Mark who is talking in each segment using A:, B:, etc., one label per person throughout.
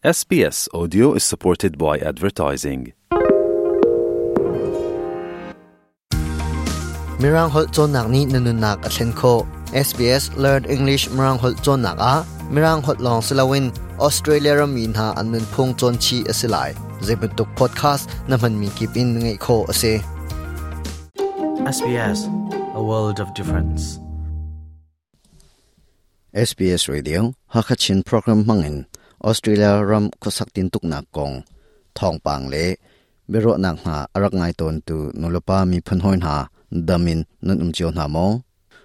A: SBS Audio is supported by advertising.
B: Mirang holh cawnnak nih na nunnak a thlen khawh. SBS Learn English Mirang holh cawnnak ah Mirang holh lawng si loin Australia rammi hna an nunphung cawn chih a si lai. Zeibantuk podcast na hmanmi kip in ngaih khawh a si.
C: SBS, a world of difference.
B: SBS Radio Hakha Chin program hmangin Australia ram khuasak tintuknak kong thawngpang le biaruahnak hna a rak ngai tawntu nulepa miphun hawi hna dam in nan um cio hna maw?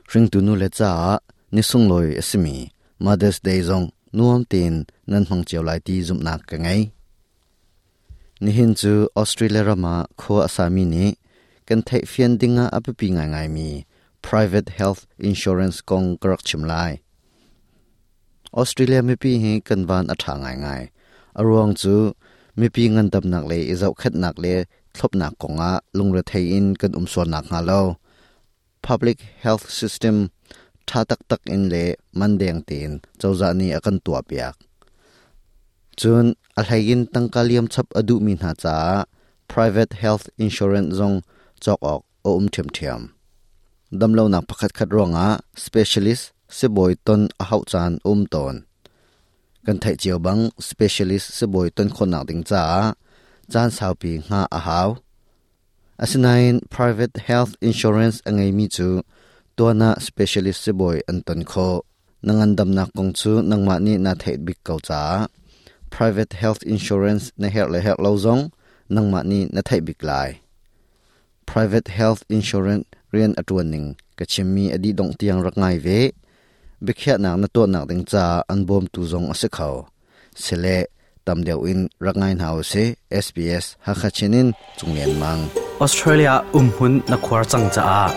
B: Hringtu nule caah ni sunglawi a simi Mother's Day zong nuam tein nan hmang cio lai ti zumhnak ka ngei. Nihin cu Australia ram ah khua a sami nih kan theihfian dingah a biapi ngaingaimi private health insurance kong ka rak chim lai. Australia mipi hi kan van a ṭha ngaingai. A ruang cu mipi ngandamnak le i zohkhenhnak le thlopnak kongah lungrethei in kan um sual nakhnga lo public health system ṭha taktak in le man deng tein cozah nih a kan tuahpiak. Cun a hlei in tangka liam chap a duhmi hna caah private health insurance zong cawk awk a um ṭhiamṭhiam. Damlonak pakhatkhat ruangah specialist sibawi ton a hauh caan a um tawn. Kan theih cio bang specialist sibawi ton khawhnak ding caah caan saupi hngah a hau. Asinain private health insurance a ngeimi cu tuan ah specialist sibawi an ton khawh. Na ngandamnak kong cu nangmah nih naa theih bik ko caah private health insurance na herh le herh lo zong nangmah nih na theih bik lai. Private health insurance rian a ṭuan ning ka chimmi a dih dongh tiang rak ngai ve. Biakhiahnak na tuahnak ding caah an bawmtu zong a si kho. Sile tam deuh in rak ngai hna usih. SBS Hakha Chin in Cung Lian Mang.
C: Australia umhmun na khuar cang caah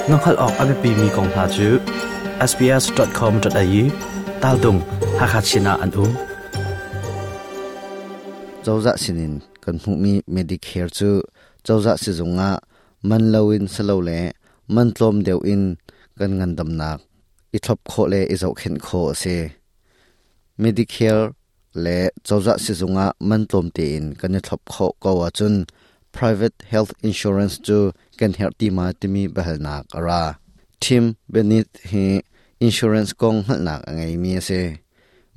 C: na hngalh awk a biapimi kong hna cu sbs.com.au taltung Hakha Chin ah an um.
B: Cozah sinin kan hmuhmi Medicare cu cozah sizung ah man loin silole man tlawm deuh in kan ngandamnak i thlop khawh le i zohkhenh khawh a si. Medicare le cozah sizung ah man tlawm tein kan i thlop khawh ko ahcun private health insurance cu kan herh ti ma timi biahalnak a ra. Tim Bennett hi insurance kong hngalhnak a ngeimi a si.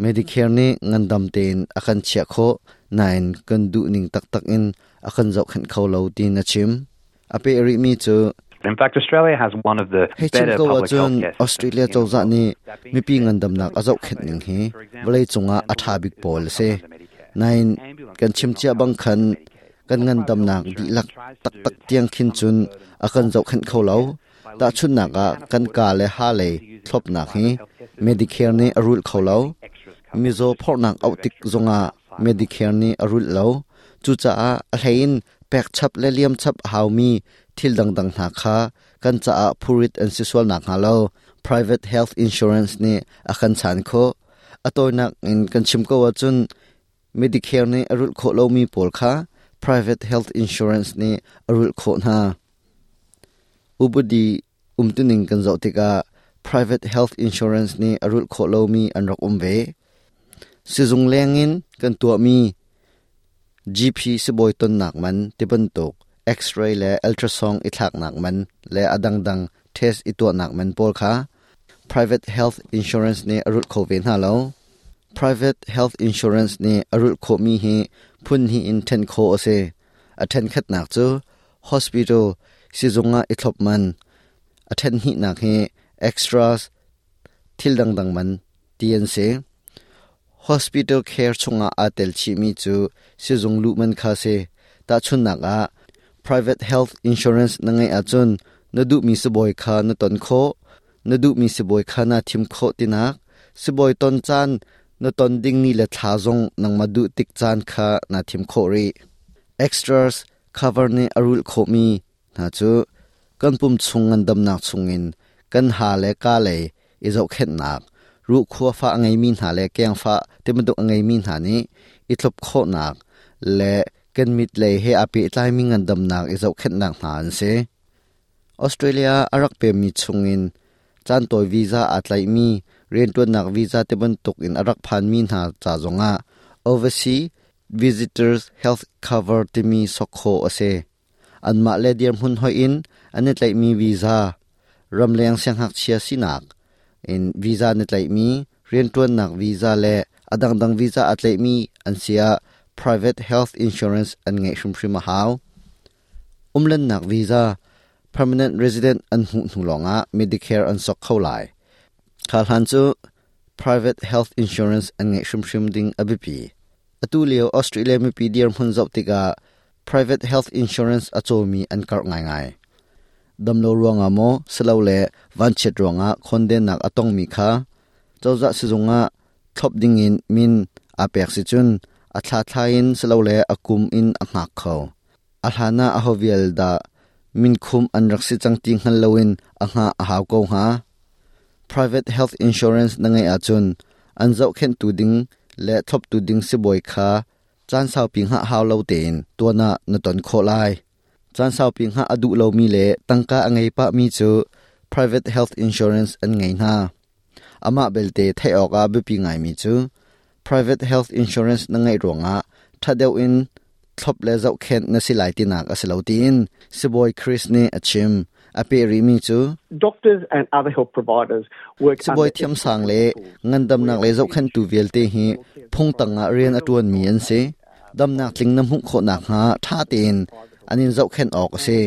B: Medicare nih ngandam tein a kan chiah khawh nain kan duhning taktak in a kan zohkhenh kho lo tiin a chim. A peh rihmi cu
D: In fact, Australia has one of the
B: Hei chim
D: better
B: ko
D: public
B: ahcun
D: healthcare systems
B: Australia
D: in the
B: cozah
D: world.
B: nih
D: That being
B: mipi
D: said,
B: ngandamnak a zohkhenh ning hi
D: for example,
B: vawleicung ah a
D: dental
B: ṭha
D: work
B: bik
D: is
B: pawl
D: not
B: a si.
D: covered under Medicare.
B: Nain
D: Ambulance
B: kan
D: is
B: chim
D: not
B: cia
D: covered
B: bang
D: under
B: khan
D: Medicare.
B: kan
D: What private health
B: ngandamnak
D: insurance
B: dihlak
D: tries to do
B: taktak
D: is take
B: tiang khin
D: some of
B: cun
D: the burden
B: a kan
D: off
B: zohkhenh kho lo.
D: Medicare by letting
B: Tahchunhnak
D: people
B: ah
D: who can
B: kan
D: afford
B: ka
D: it
B: le ha lei
D: to use the
B: thlopnak
D: private
B: hi
D: healthcare system
B: Medicare nih a rulh kho lo.
D: the extras covered,
B: Mizaw
D: just
B: phorhnak auh
D: move
B: tik
D: extra
B: zongah
D: outside of
B: Medicare nih a rulh lo. Cucaah a hleiin pekchap le liamchap a haumi thil dangdang hna kha kan caah phurit an si sual nakhnga lo private health insurance nih a kan chan khawh. A tawinak in kan chim ko ahcun Medicare nih a rulh khawh lomi pawl kha private health insurance nih a rulh khawh hna. Upadi umtuning kan zoh tikah private health insurance nih a rulh khawh lomi an rak um ve. Sizung lengin kan tuahmi GP sibawi tonnak man tibantuk X-ray le ultrasound i thlaknak man le a dangdang test i tuahnak man pawl kha private health insurance nih a rulh kho ve hna lo. Private health insurance nih a rulh khawhmi hi phun hnih in ṭhen khawh a si. A ṭhenkhatnak cu hospital sizung ah i thlop man, a ṭhen hnihnak hi extras thil dangdang man ti an si. Hospital care chungah aa tel chihmi cu sizung luh man kha si. Tahchunhnak ah, private health insurance na ngeih ahcun na duhmi sibawi kha na ton khawh, na duhmi sibawi kha naa thim khawh tinak, sibawi ton caan na ton ding ni le thla zong nangmah duh tik caan kha naa thim khawh rih. Extras cover nih a rulh khawhmi hna cu kan pum chung ngandamnak chungin kan ha le ka lei i zohkhenhnak, ruhkhua fah a ngeimi hna le kengfah tibantuk a ngeimi hna nih i thlop khawhnak le kan mit lei he aa pehtlaimi ngandamnak i zohkhenhnak hna an si. Australia a rak pemmi chungin caantawi visa aa tlaihmi rianṭuannak visa tibantuk in a rak phanmi hna ca zongah Overseas Visitors Health Cover timi sok khawh a si. Anmah le dirhmun hoih in an i tlaihmi visa, ramleng siangngakchia sinak in visa na tlaihmi, rianṭuannak visa le a dangdang visa aa tlaihmi an si ah private health insurance an ngeih hrimhrim a hau. Umlannak visa, permanent resident an hmuh hnu lawngah Medicare an sok kho lai. Kha hlan cu private health insurance an ngeih hrimhrim ding a biapi. Atu lio Australia mipi dirhmun zoh tikah private health insurance a cawmi an karh ngaingai. Damlo ruangah maw silole vanchiat ruangah khondennak a tongmi kha cozah sizung ah thlop dingin min aa pek si cun a thla in silole a kum in a hngak kho. A hlan ah aho vial dah minkhum an rak si cang ti hngal loin a hngah a hau ko hnga. Private health insurance na ngeih ahcun an zohkhenhtu ding le thloptu ding sibawi kha caan saupi hngah hau lo tein tuan ah na ton khawh lai. Caan saupi hngah a duh lomi le tangka a ngei pahmi cu private health insurance an ngei hna. Amah belte theih awkah biapi ngaimi cu private health insurance na ngeih ruangah ṭha deuh in thlop le zohkhenh na si lai tinak a si lo tiin sibawi Chris nih a chim. A peh rihmi cu
E: Doctors and other health providers work
B: Sibawi thiamsang le ngandamnak le zohkhenhtu vialte hi phung tangah rian a ṭuanmi an si. Damnak tling na hmuh khawh nakhnga ṭha tein an in zohkhenh awk a si.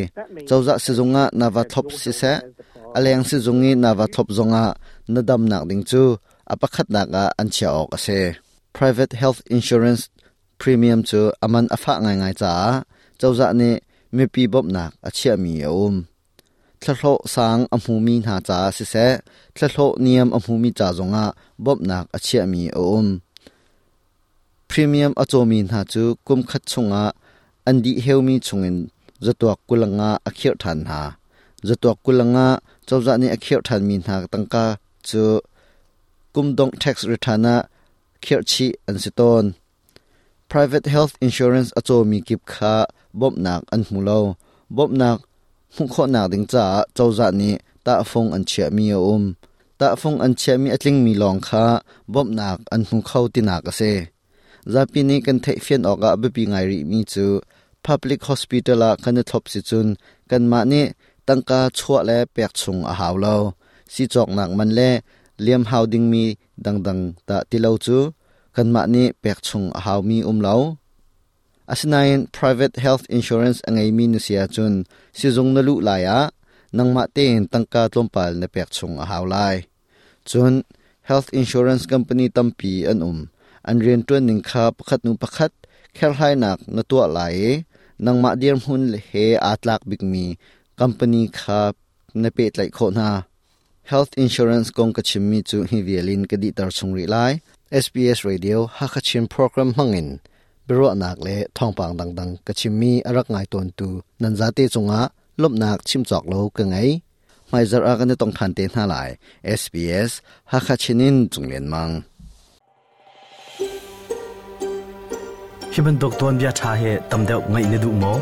B: Cozah sizung ah na va thlop siseh, a leng sizung i na va thlop zongah na damnak ding cu a pakhatnak ah an chiah awk a si. Private health insurance premium cu a man a fah ngaingai caah cozah nih mipi bawmhnak a chiahmi a um. Thlahlawh sang a hmumi hna caah siseh, thlahlawh niam a hmumi ca zongah bawmhnak a chiahmi a um. Premium a cawmi hna cu kum khat chungah an dih heumi chungin zatuak kulanga a khirh ṭhan hna. Zatuak kulanga cozah nih a khirh ṭhanmi hna tangka cu kum dongh tax return ah khirhchih an si tawn. Private health insurance a cawmi kip kha bawmhnak an hmu lo. Bawmhnak hmuh khawhnak ding caah cozah nih tahfung an chiahmi a um. Tahfung an chiahmi a tlingmi lawng kha bawmhnak an hmu kho tinak a si. Zapi nih kan theihfian awkah biapi ngai rihmi cu public hospital ah kan i thlop si cun kanmah nih tangka chuah le pek chung a hau lo. Sii cawknak man le liam hau dingmi dangdang dah ti lo cu kanmah nih pek chung a haumi um lo. Asinain private health insurance a ngeimi na si ahcun sizung na luh lai ah nangmah tein tangka tlawmpal na pek chung a hau lai. Cun health insurance company tampi an um. An rianṭuan ning kha pakhat hnu pakhat kherhlainak na tuah lai i nangmah dirhmun he aa tlak bikmi company kha na pehtlaih khawh hna. Health insurance kong ka chimmi cu hi vial in ka dihter chung rih lai. SBS Radio Hakha Chin program hmangin biaruahnak le thawngpang dangdang ka chimmi a rak ngai tawntu nan zate cungah lawmhnak chim cawk lo ka ngei. Hmaizarh ah kan i tong ṭhan te hna lai. SBS Hakha Chin in Cung Lian Mang.
C: Hi bantuk tuanbia ṭha hi tam deuh ngaih na duh maw?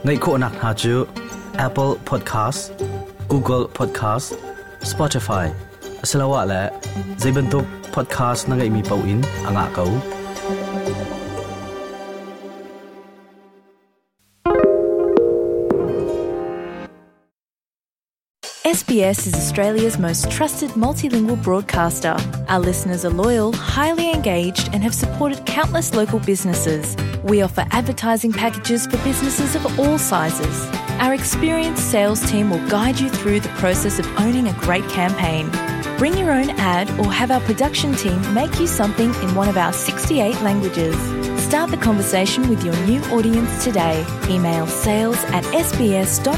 C: Ngaih khawhnak hna cu Apple Podcast, Google Podcast, Spotify asiloah le zei bantuk podcast na ngeihmi paoh in a ngah ko.
F: SBS is Australia's most trusted multilingual broadcaster. Our listeners are loyal, highly engaged, and have supported countless local businesses. We offer advertising packages for businesses of all sizes. Our experienced sales team will guide you through the process of owning a great campaign. Bring your own ad or have our production team make you something in one of our 68 languages. Start the conversation with your new audience today. Email sales at sbs.com.au.